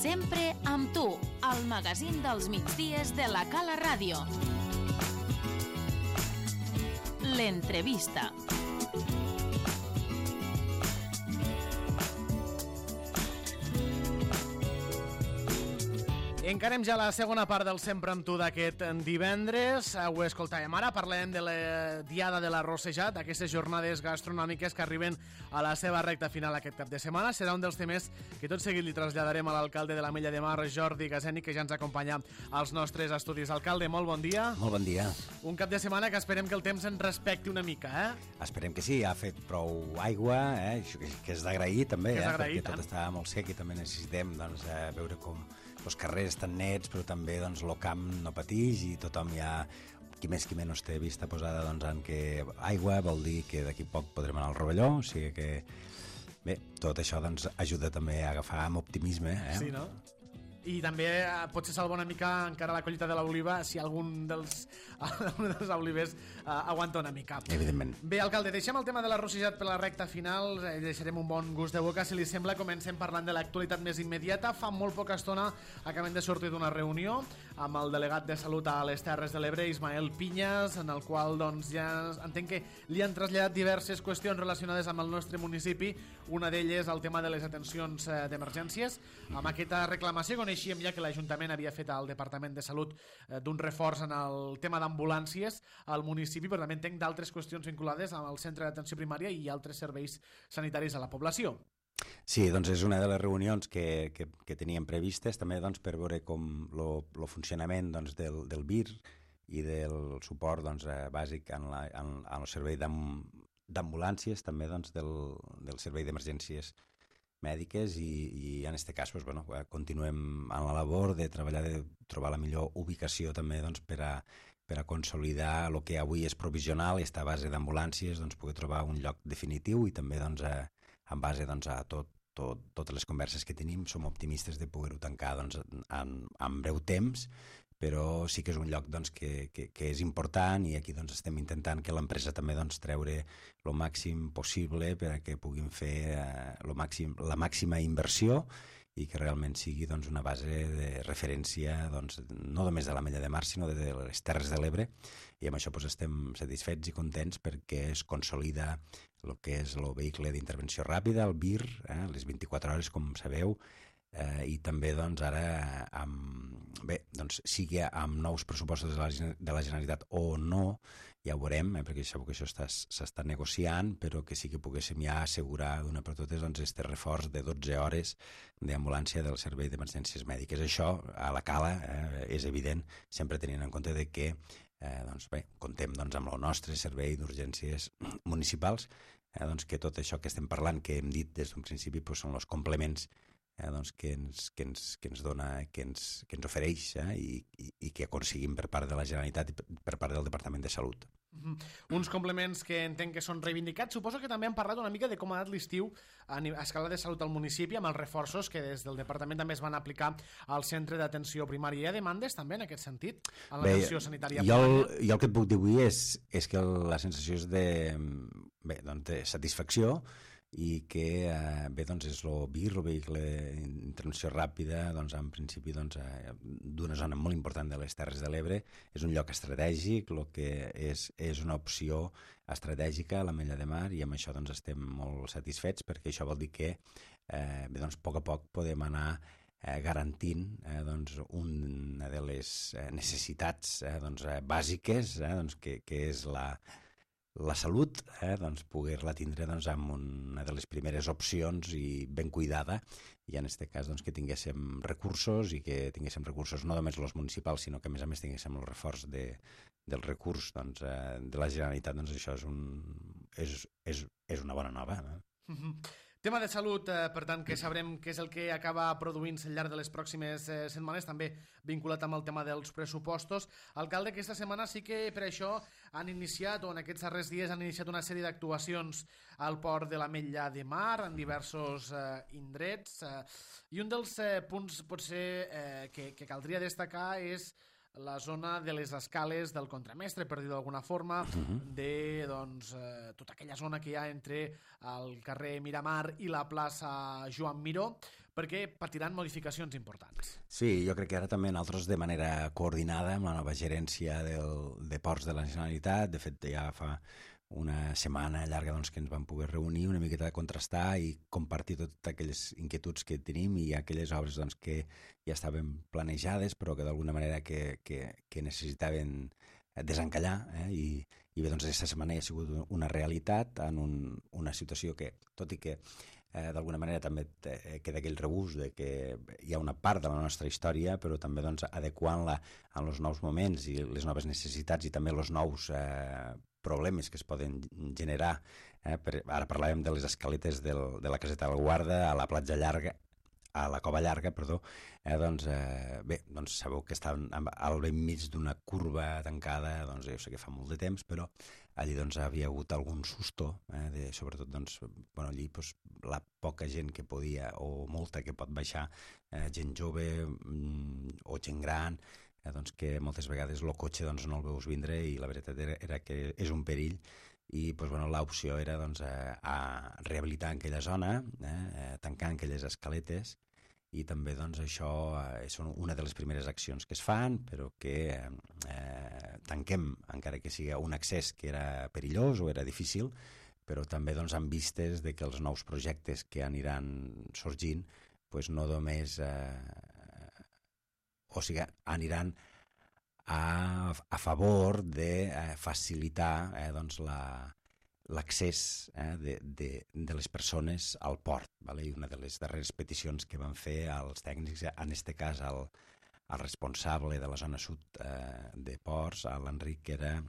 Sempre amb tu, al magazín dels migdies de la Cala Ràdio. L'entrevista. Encarem ja la segona part del Sempre amb tu d'aquest divendres. Ho escoltàvem ara, parlem de la Diada de l'Arrossejat, aquestes jornades gastronòmiques que arriben a la seva recta final aquest cap de setmana. Serà un dels temes que tot seguit li traslladarem a l'alcalde de l'Ametlla de Mar, Jordi Gazeni, que ja ens acompanya als nostres estudis. Alcalde, molt bon dia. Molt bon dia. Un cap de setmana que esperem que el temps ens respecti una mica, Esperem que sí, ha fet prou aigua, això que és d'agrair també, d'agrair, perquè tot està molt sec i també necessitem veure com els carrers estan nets, però també el camp no patix i tothom ja, qui més qui menys té vista posada en que aigua vol dir que d'aquí poc podrem anar al Rovelló, o sigui que bé, tot això ajuda també a agafar amb optimisme. Sí, no? I també potser salva una mica encara la collita de l'oliva si algun dels olivers aguanta una mica. Evidentment. Bé, alcalde, deixem el tema de l'arrossejat per la recta final, deixarem un bon gust de boca. Si li sembla, comencem parlant de l'actualitat més immediata. Fa molt poca estona acabem de sortir d'una reunió amb el delegat de Salut a les Terres de l'Ebre, Ismael Pinyas, en el qual ja entenc que li han traslladat diverses qüestions relacionades amb el nostre municipi. Una d'elles el tema de les atencions d'emergències. Amb aquesta reclamació coneixíem ja que l'Ajuntament havia fet al Departament de Salut d'un reforç en el tema d'ambulàncies al municipi, però també entenc d'altres qüestions vinculades amb el centre d'atenció primària i altres serveis sanitaris a la població. Sí, doncs és una de les reunions que teníem previstes, també per veure com el funcionament del BIR i del suport bàsic en el servei d'ambulàncies, també del servei d'emergències mèdiques i en aquest cas continuem en la labor de treballar, de trobar la millor ubicació també per a consolidar el que avui és provisional i està a base d'ambulàncies, poder trobar un lloc definitiu i també en base a totes les converses que tenim som optimistes de poder-ho tancar en breu temps, però sí que és un lloc que és important i aquí estem intentant que l'empresa també treure el màxim possible per a que puguin fer la màxima inversió i que realment sigui una base de referència no només de l'Ametlla de Mar sinó de les Terres de l'Ebre, i amb això estem satisfets i contents perquè es consolida el que és el vehicle d'intervenció ràpida, el BIR, les 24 hores, com sabeu, i també ara sigui amb nous pressupostos de la Generalitat o no, ja ho veurem, perquè sabeu que això s'està negociant, però que sí que poguéssim ja assegurar d'una per totes aquest reforç de 12 hores d'ambulància del servei d'emergències mèdiques. Això a la Cala és evident, sempre tenint en compte de que contem amb el nostre servei d'urgències municipals, que tot això que estem parlant, que hem dit des d'un principi, són els complements que ens dona, que ens ofereix i que aconseguim per part de la Generalitat i per part del Departament de Salut. Uns complements que entenc que són reivindicats. Suposo que també han parlat una mica de com ha anat l'estiu a escala de salut al municipi amb els reforços que des del departament també es van aplicar al centre d'atenció primària. Hi ha demandes també en aquest sentit en l'atenció sanitària primària? Jo el que et puc dir avui és que la sensació és de satisfacció i que és el BIR, el vehicle d'intervenció ràpida, en principi d'una zona molt important de les Terres de l'Ebre. És un lloc estratègic, el que és una opció estratègica a l'Ametlla de Mar, i amb això estem molt satisfets, perquè això vol dir que a poc a poc podem anar garantint una de les necessitats bàsiques, que és la salut, poder-la tindre amb una de les primeres opcions i ben cuidada, i en aquest cas que tinguéssim recursos, i que tinguéssim recursos no només els municipals, sinó que a més tinguéssim el reforç del recurs de la Generalitat. Això és una bona nova. Tema de salut, per tant, que sabrem què és el que acaba produint-se al llarg de les pròximes setmanes, també vinculat amb el tema dels pressupostos. Alcalde, aquesta setmana sí que per això han iniciat, o en aquests darrers dies han iniciat una sèrie d'actuacions al port de l'Ametlla de Mar, en diversos indrets, i un dels punts potser que caldria destacar és la zona de les escales del contramestre, per dir d'alguna forma, de tota aquella zona que hi ha entre el carrer Miramar i la plaça Joan Miró, perquè patiran modificacions importants. Sí, jo crec que ara també nosaltres de manera coordinada amb la nova gerència de Ports de la Generalitat, de fet ja fa una setmana llarga que ens vam poder reunir una miqueta de contrastar i compartir totes aquelles inquietuds que tenim i aquelles obres que ja estaven planejades però que d'alguna manera que necessitaven desencallar, i bé, aquesta setmana ja ha sigut una realitat en una situació que, tot i que d'alguna manera també queda aquell regust de que hi ha una part de la nostra història, però també adequant-la als nous moments i les noves necessitats i també els nous problemes que es poden generar. Ara parlàvem de les escaletes de la caseta del Guarda a la platja llarga, a la Cova Llarga, perdó, bé, sabeu que estan al ben mig d'una curva tancada, jo sé que fa molt de temps, però allí havia hagut algun susto, sobretot allí la poca gent que podia, o molta que pot baixar, gent jove o gent gran, que moltes vegades el cotxe no el veus vindre i la veritat era que és un perill i l'opció era a rehabilitar aquella zona, tancant aquelles escaletes i també això és una de les primeres accions que es fan, però que tanquem, encara que sigui un accés que era perillós o era difícil, però també amb vistes de que els nous projectes que aniran sorgint no només aniran a favor de facilitar l'accés de les persones al port. I una de les darreres peticions que van fer als tècnics, en aquest cas al responsable de la zona sud de ports, a l'Enric, era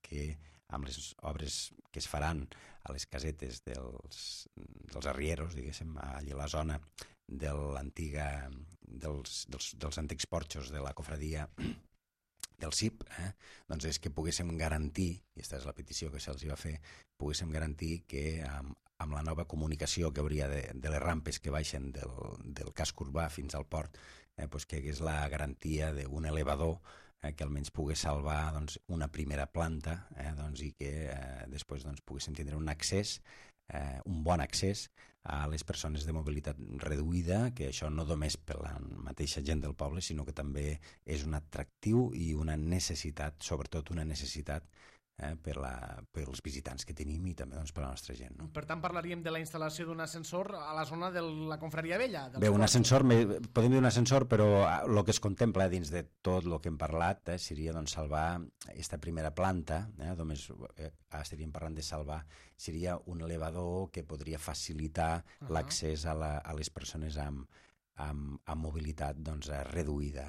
que amb les obres que es faran a les casetes dels arrieros, diguéssim, allà a la zona dels antics porxos de la cofradia del CIP, és que poguéssim garantir, i aquesta és la petició que se'ls va fer, poguéssim garantir que amb la nova comunicació que hauria de les rampes que baixen del casc urbà fins al port, que hi hagués la garantia d'un elevador que almenys pogués salvar una primera planta i que després poguéssim tindre un accés, un bon accés a les persones de mobilitat reduïda, que això no només per la mateixa gent del poble, sinó que també és un atractiu i una necessitat, sobretot una necessitat pels visitants que tenim i també per la nostra gent. Per tant, parlaríem de la instal·lació d'un ascensor a la zona de la Confraria Vella. Bé, un ascensor, podem dir un ascensor, però el que es contempla dins de tot el que hem parlat seria salvar aquesta primera planta, només estaríem parlant de salvar, seria un elevador que podria facilitar l'accés a les persones amb mobilitat reduïda.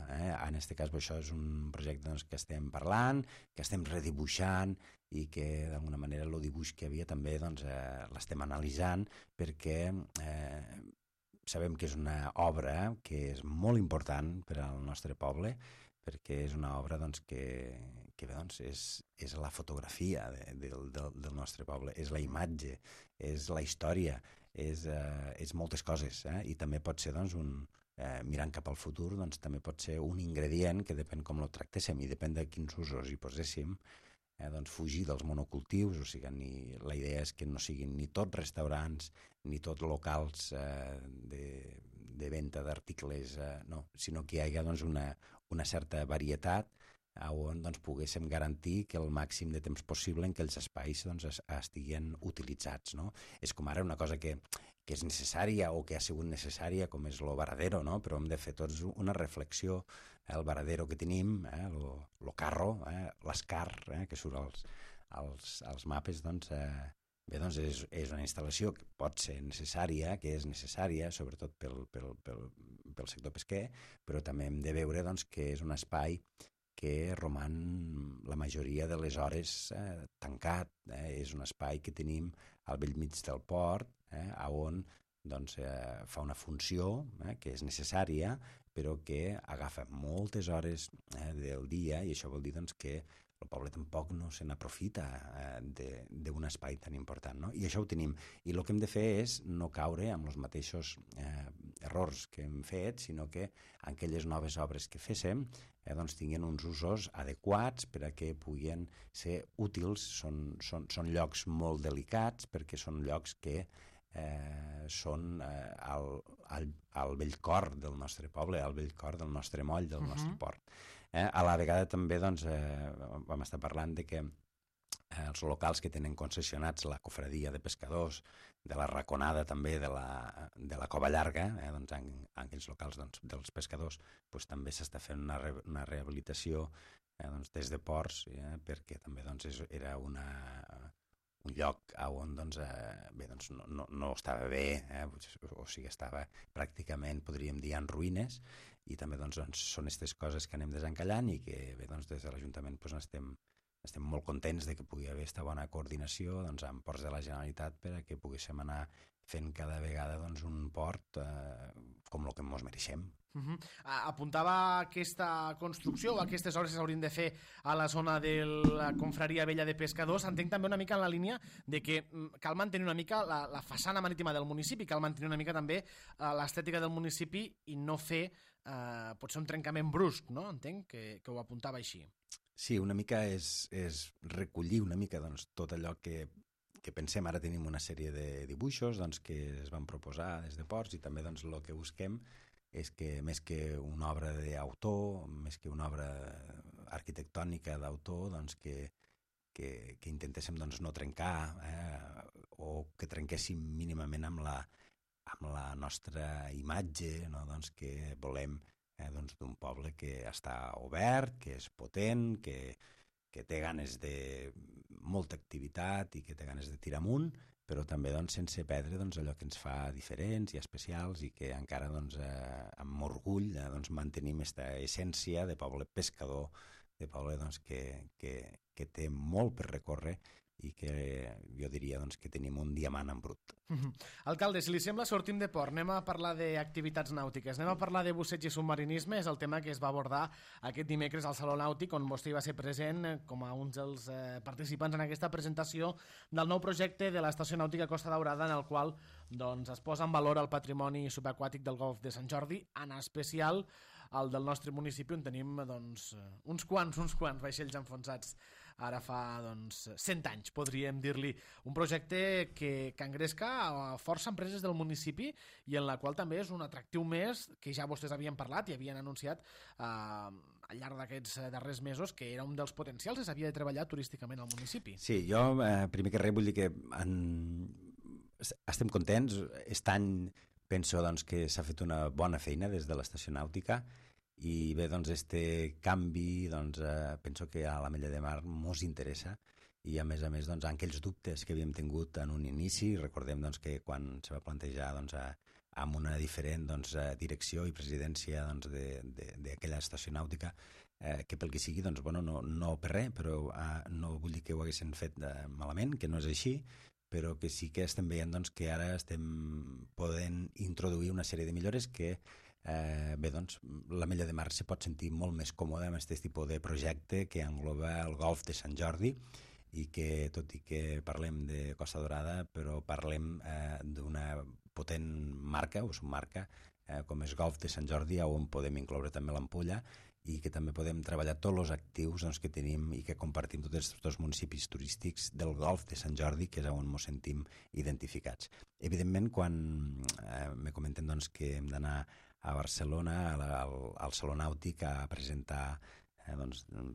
En aquest cas, això és un projecte que estem parlant, que estem redibuixant i que d'alguna manera el dibuix que havia també l'estem analitzant perquè sabem que és una obra que és molt important per al nostre poble, perquè és una obra que és la fotografia del nostre poble, és la imatge, és la història, és moltes coses, i també pot ser mirant cap al futur, també pot ser un ingredient que depèn com el tractéssim i depèn de quins usos hi poséssim, fugir dels monocultius, o sigui, la idea és que no siguin ni tots restaurants ni tots locals de venda d'articles, no, sinó que hi hagi una certa varietat on poguéssim garantir que el màxim de temps possible en aquells espais estiguin utilitzats. És com ara una cosa que és necessària o que ha sigut necessària, com és el Varadero, però hem de fer tots una reflexió. El Varadero que tenim, el carro, l'escar, que surt als mapes, bé, és una instal·lació que pot ser necessària, que és necessària, sobretot pel sector pesquer, però també hem de veure que és un espai que roman la majoria de les hores tancat. És un espai que tenim al bell mig del port, on fa una funció que és necessària, però que agafa moltes hores del dia, i això vol dir que el poble tampoc no se n'aprofita d'un espai tan important. I això ho tenim. I el que hem de fer és no caure amb els mateixos errors que hem fet, sinó que aquelles noves obres que féssim doncs tinguin uns usos adequats per a que puguin ser útils. Són llocs molt delicats perquè són llocs que són al vell cor del nostre poble, al vell cor del nostre moll, del nostre port. A la vegada també vam estar parlant de que els locals que tenen concessionats la cofradia de pescadors, de la Raconada també, de la Cova Llarga, doncs en aquells locals dels pescadors també s'està fent una rehabilitació des de ports, perquè també era un lloc on no estava bé, o sigui, estava pràcticament, podríem dir, en ruïnes, i també són aquestes coses que anem desencallant i que des de l'Ajuntament estem molt contents de que pugui haver aquesta bona coordinació amb ports de la Generalitat per a que poguéssim anar fent cada vegada un port com el que ens mereixem. Apuntava aquesta construcció o aquestes obres que s'haurien de fer a la zona de la confraria vella de pescadors. Entenc també una mica en la línia de que cal mantenir una mica la façana marítima del municipi, cal mantenir una mica també l'estètica del municipi i no fer potser un trencament brusc, no? Entenc que ho apuntava així. Sí, una mica és recollir una mica tot allò que pensem. Ara tenim una sèrie de dibuixos que es van proposar des de Ports i també el que busquem és que més que una obra d'autor, més que una obra arquitectònica d'autor, que intentéssim no trencar o que trenquéssim mínimament amb la nostra imatge, que volem d'un poble que està obert, que és potent, que té ganes de molta activitat i que té ganes de tirar amunt, però també sense perdre allò que ens fa diferents i especials i que encara amb orgull mantenim aquesta essència de poble pescador, de poble que té molt per recórrer i que jo diria que tenim un diamant en brut. Alcalde, si li sembla, sortim de port. Anem a parlar d'activitats nàutiques. Anem a parlar de busseig i submarinisme. És el tema que es va abordar aquest dimecres al Saló Nàutic, on vostè va ser present com a un dels participants en aquesta presentació del nou projecte de l'Estació Nàutica Costa Daurada, en el qual es posa en valor el patrimoni subaquàtic del Golf de Sant Jordi, en especial el del nostre municipi, on tenim uns quants vaixells enfonsats ara fa 100 anys, podríem dir-li. Un projecte que engresca força empreses del municipi i en la qual també és un atractiu més que ja vostès havien parlat i havien anunciat al llarg d'aquests darrers mesos que era un dels potencials que s'havia de treballar turísticament al municipi. Sí, jo primer que res vull dir que estem contents. Aquest any penso que s'ha fet una bona feina des de l'Estació Nàutica i bé, este canvi penso que a l'Ametlla de Mar mos interessa i a més aquells dubtes que havíem tingut en un inici, recordem que quan se va plantejar amb una diferent direcció i presidència d'aquella estació nàutica, que pel que sigui, no per res, però no vull dir que ho haguessin fet malament, que no és així, però que sí que estem veient que ara estem podent introduir una sèrie de millores que l'Ametlla de Mar se pot sentir molt més còmode amb aquest tipus de projecte que engloba el Golf de Sant Jordi i que, tot i que parlem de Costa Daurada, però parlem d'una potent marca o submarca com és Golf de Sant Jordi, on podem incloure també l'Ampolla i que també podem treballar tots els actius que tenim i que compartim tots els dos municipis turístics del Golf de Sant Jordi, que és on ens sentim identificats. Evidentment, quan me comenten que hem d'anar a Barcelona, al Saló Nàutic, a presentar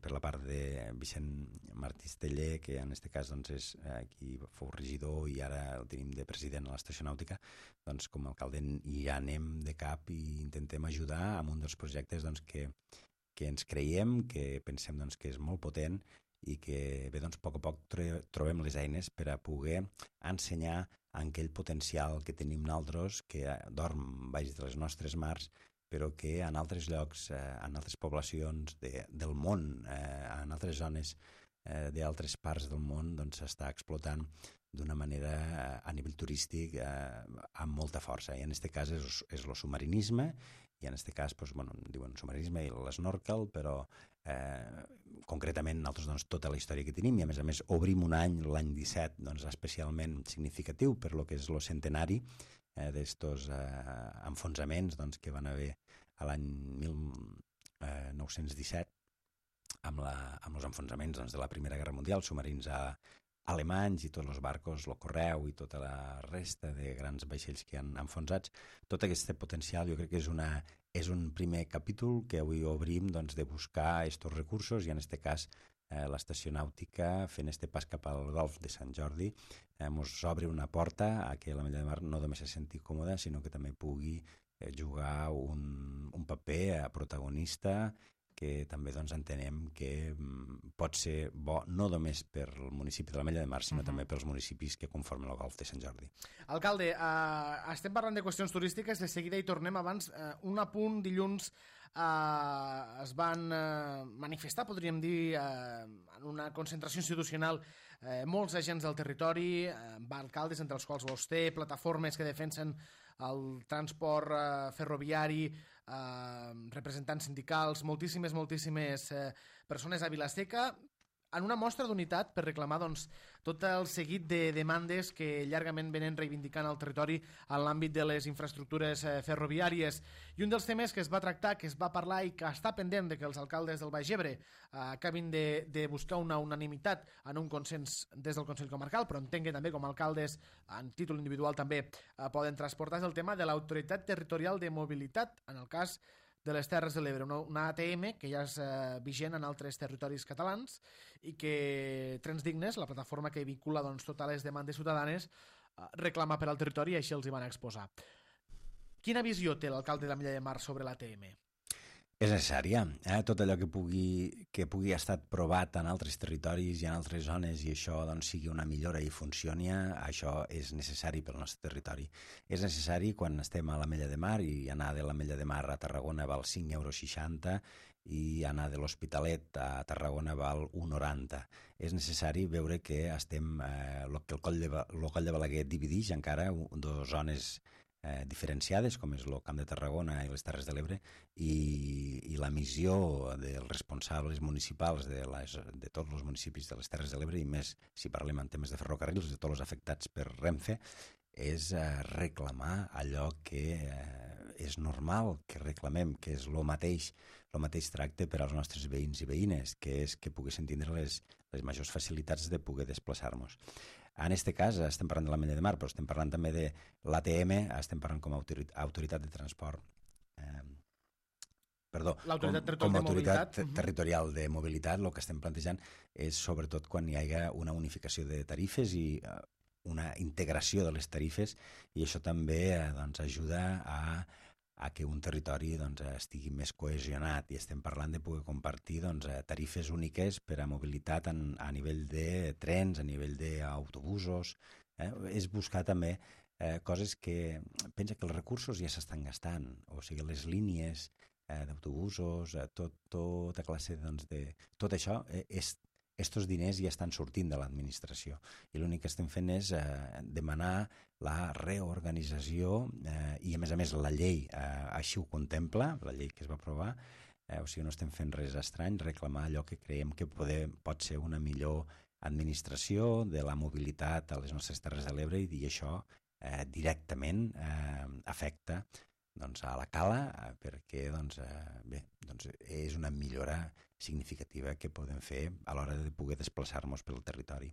per la part de Vicent Martí Esteller, que en aquest cas és qui fou regidor i ara el tenim de president a l'Estació Nàutica, com a alcalde ja anem de cap i intentem ajudar amb un dels projectes que ens creiem, que pensem que és molt potent i que bé, a poc trobem les eines per a poder ensenyar aquell potencial que tenim nosaltres, que dorm baix de les nostres mars, però que en altres llocs, en altres poblacions del món, en altres zones d'altres parts del món, s'està explotant d'una manera a nivell turístic amb molta força. I en aquest cas és el submarinisme, i en aquest cas diuen submarinisme i l'esnorkel, però concretament nosaltres tota la història que tenim, i a més obrim un any, l'any 17, especialment significatiu per lo que és el centenari d'estos enfonsaments doncs, que van haver a l'any 1917 amb els enfonsaments doncs, de la Primera Guerra Mundial, submarins alemanys i tots els barcos, el correu i tota la resta de grans vaixells que han enfonsats. Tot aquest potencial jo crec que és un primer capítol que avui obrim doncs, de buscar aquests recursos i en aquest cas l'estació nàutica fent este pas cap al golf de Sant Jordi ens obre una porta a que l'Ametlla de Mar no només se senti còmoda sinó que també pugui jugar un paper protagonista que també doncs, entenem que pot ser bo no només per al municipi de l'Ametlla de Mar, sinó també pels municipis que conformen el Golf de Sant Jordi. Alcalde, estem parlant de qüestions turístiques, de seguida hi tornem abans. Un apunt, dilluns es van manifestar, podríem dir, en una concentració institucional molts agents del territori, alcaldes, entre els quals vostè, plataformes que defensen el transport ferroviari, representants sindicals, moltíssimes persones a Vila-seca, en una mostra d'unitat per reclamar doncs, tot el seguit de demandes que llargament venen reivindicant al territori en l'àmbit de les infraestructures ferroviàries. I un dels temes que es va tractar, que es va parlar i que està pendent de que els alcaldes del Baix Ebre acabin de buscar una unanimitat en un consens des del Consell Comarcal, però entenc que també com a alcaldes, en títol individual també poden transportar, és el tema de l'Autoritat Territorial de Mobilitat, en el cas de les Terres de l'Ebre, una ATM que ja és vigent en altres territoris catalans i que Trens Dignes, la plataforma que vincula doncs, totes les demandes ciutadanes, reclama per al territori i així els hi van exposar. Quina visió té l'alcalde de l'Ametlla de Mar sobre l'ATM? És necessària. Tot allò que pugui estar provat en altres territoris i en altres zones i això doncs, sigui una millora i funcioni, això és necessari pel nostre territori. És necessari quan estem a l'Ametlla de Mar i anar de l'Ametlla de Mar a Tarragona val 5,60 € i anar de l'Hospitalet a Tarragona val 1,90. És necessari veure que estem, que el coll de Balaguer divideix encara dues zones diferenciades, com és el Camp de Tarragona i les Terres de l'Ebre, i la missió dels responsables municipals de tots els municipis de les Terres de l'Ebre, i més si parlem en temes de ferrocarrils, de tots els afectats per Renfe, és reclamar allò que és normal que reclamem, que és el mateix tracte per als nostres veïns i veïnes, que és que poguessin tindre les majors facilitats de poder desplaçar-nos. En aquest cas estem parlant de l'Ametlla de Mar, però estem parlant també de l'ATM, estem parlant com a autoritat de transport, com a autoritat territorial de mobilitat. El que estem plantejant és sobretot quan hi hagi una unificació de tarifes i una integració de les tarifes, i això també doncs, ajuda a que un territori doncs, estigui més cohesionat, i estem parlant de poder compartir doncs, tarifes úniques per a mobilitat a nivell de trens, a nivell d'autobusos. És buscar també coses que pensa que els recursos ja s'estan gastant, o sigui, les línies d'autobusos, tota classe doncs, de... Tot això estos diners ja estan sortint de l'administració i l'únic que estem fent és demanar la reorganització i a més la llei així ho contempla, la llei que es va aprovar, o sigui no estem fent res estrany, reclamar allò que creiem que pot ser una millor administració de la mobilitat a les nostres Terres de l'Ebre, i això directament afecta doncs, a la Cala, perquè és una millora significativa que podem fer a l'hora de poder desplaçar-nos pel territori.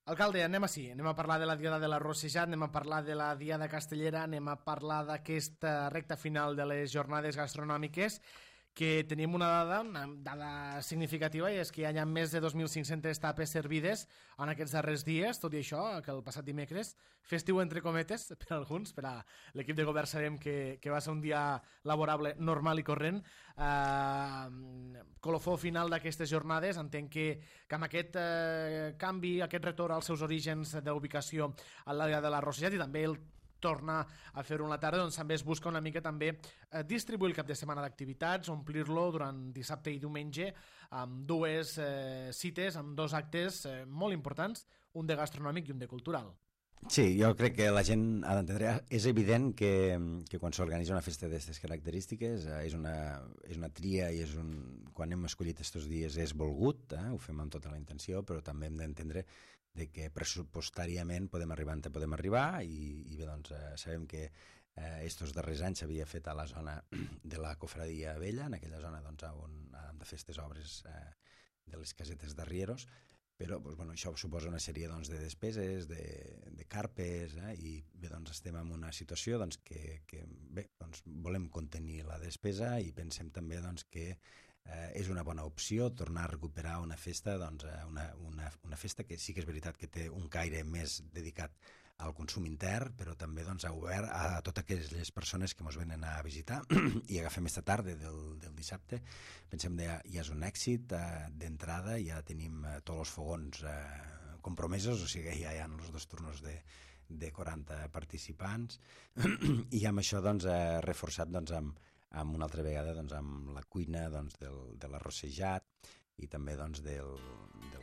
Alcalde, anem a parlar de la Diada de la Rossejat, anem a parlar de la Diada Castellera, anem a parlar d'aquesta recta final de les jornades gastronòmiques, que tenim una dada significativa, i és que hi ha més de 2.500 tapes servides en aquests darrers dies, tot i això, que el passat dimecres, festiu entre cometes, per alguns, per a l'equip de govern sabem que va ser un dia laborable normal i corrent. Colofó final d'aquestes jornades, entenc que amb aquest canvi, aquest retorn als seus orígens d'ubicació a l'àrea de la Rossejat, i també el tornar a fer-ho en la tarda, doncs també es busca una mica també distribuir el cap de setmana d'activitats, omplir-lo durant dissabte i diumenge amb dues cites, amb dos actes molt importants, un de gastronòmic i un de cultural. Sí, jo crec que la gent ha d'entendre. És evident que quan s'organitza una festa d'aquestes característiques és una tria, i quan hem escollit aquests dies és volgut, ho fem amb tota la intenció, però també hem d'entendre de que pressupostàriament podem arribar on podem arribar i bé, doncs sabem que estos darrers anys s'havia fet a la zona de la Cofradia Vella, en aquella zona doncs, on hem de fer aquestes obres de les casetes d'arrieros, però doncs, bueno, això suposa una sèrie doncs, de despeses, de carpes, i bé, doncs, estem en una situació doncs, que bé, doncs, volem contenir la despesa i pensem també doncs, que és una bona opció tornar a recuperar una festa, doncs, una festa que sí que és veritat que té un caire més dedicat al consum intern, però també doncs, ha obert a totes aquelles persones que ens venen a visitar i agafem aquesta tarda del dissabte. Pensem que ja és un èxit d'entrada, ja tenim tots els fogons compromesos, o sigui, ja hi ha els 2 turnos de 40 participants i amb això doncs, reforçat doncs, amb una altra vegada doncs, amb la cuina doncs, de l'arrossejat i també doncs, del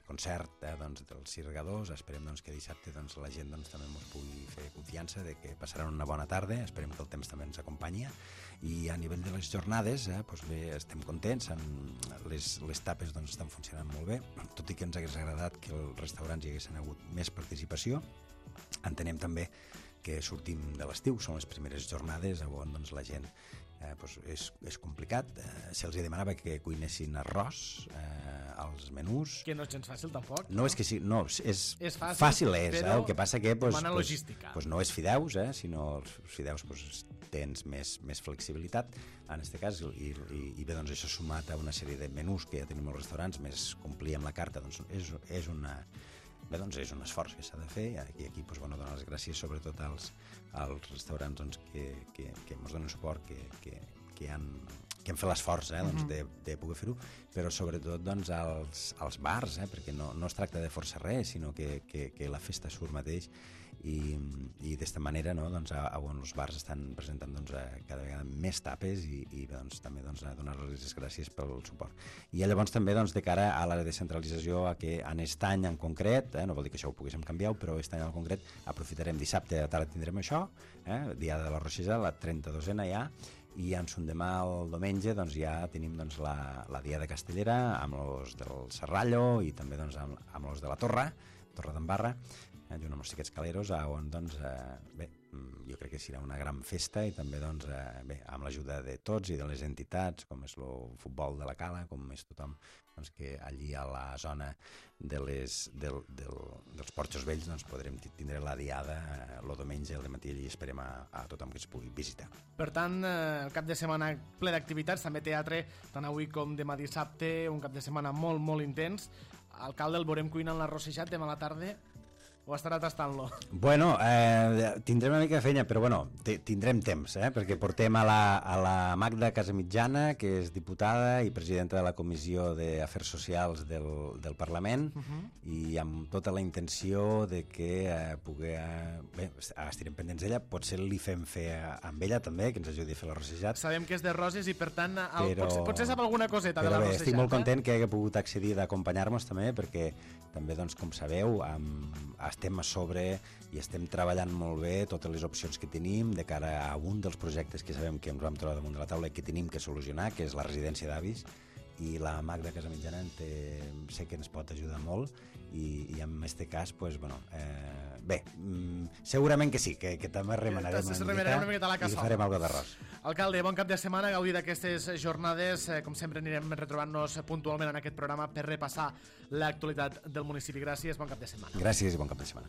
concert doncs, dels cirgadors. Esperem doncs, que dissabte doncs, la gent doncs, també ens pugui fer confiança de que passaran una bona tarda, esperem que el temps també ens acompanyi i a nivell de les jornades doncs bé, estem contents, les tapes doncs, estan funcionant molt bé, tot i que ens hagués agradat que els restaurants hi haguessin hagut més participació. Entenem també que sortim de l'estiu, són les primeres jornades on doncs, la gent és complicat. Se'ls demanava que cuinessin arròs als menús. Que no és gens fàcil, tampoc. No, és que sí, no, és fàcil, fàcil és, però el que passa que demana logística. No és fideus, sinó els fideus tens més flexibilitat, en aquest cas, i bé, doncs això sumat a una sèrie de menús que ja tenim als restaurants, més complir amb la carta, doncs és un esforç que s'ha de fer i aquí doncs, bueno, donar les gràcies sobretot als restaurants doncs, que ens donen suport, que han fet l'esforç doncs, de poder fer-ho, però sobretot doncs, als bars, perquè no es tracta de forçar res, sinó que la festa surt mateix i d'esta manera no, doncs, on els bars estan presentant doncs, cada vegada més tapes i doncs, també doncs, donar-los les gràcies pel suport. I llavors també doncs, de cara a la descentralització, a que en aquest any en concret, no vol dir que això ho poguéssim canviar, però aquest any en concret aprofitarem dissabte a tarda tindrem això, dia de la Roixesa, la 32a ja, i en son demà el diumenge doncs, ja tenim doncs, la Diada Castellera amb els del Serrallo i també doncs, amb els de la Torre d'Embarra, junt amb els xiquets caleros, on doncs, bé, jo crec que serà una gran festa i també doncs, bé, amb l'ajuda de tots i de les entitats, com és el futbol de la Cala, com és tothom doncs, que allí a la zona dels Porxos Vells doncs, podrem tindre la diada el diumenge al matí i esperem a tothom que es pugui visitar. Per tant, el cap de setmana ple d'activitats, també teatre, tant avui com demà dissabte, un cap de setmana molt, molt intens. Alcalde, el veurem cuinant l'arrossejat demà a la tarda o estarà tastant-lo? Bueno, tindrem una mica de feina, però bueno, tindrem temps, perquè portem a la Magda Casamitjana, que és diputada i presidenta de la Comissió d'Afers Socials del Parlament, i amb tota la intenció de que bé, estirem pendents d'ella, potser li fem fer amb ella també, que ens ajudi a fer l'arrossejat. Sabem que és de Roses i per tant potser sap alguna coseta de l'arrossejat. Però bé, estic molt content que hagi pogut accedir d'acompanyar-nos també, perquè també, doncs, com sabeu, estem a sobre i estem treballant molt bé totes les opcions que tenim de cara a un dels projectes que sabem que ens vam trobar damunt de la taula i que tenim que solucionar, que és la residència d'avis, i la Magda Casamitjana sé que ens pot ajudar molt i en aquest cas, doncs, bueno, bé, segurament que sí, que també remenarem una mica i farem alguna d'arròs. Alcalde, bon cap de setmana, gaudir d'aquestes jornades. Com sempre anirem retrobant-nos puntualment en aquest programa per repassar l'actualitat del municipi. Gràcies, bon cap de setmana. Gràcies i bon cap de setmana.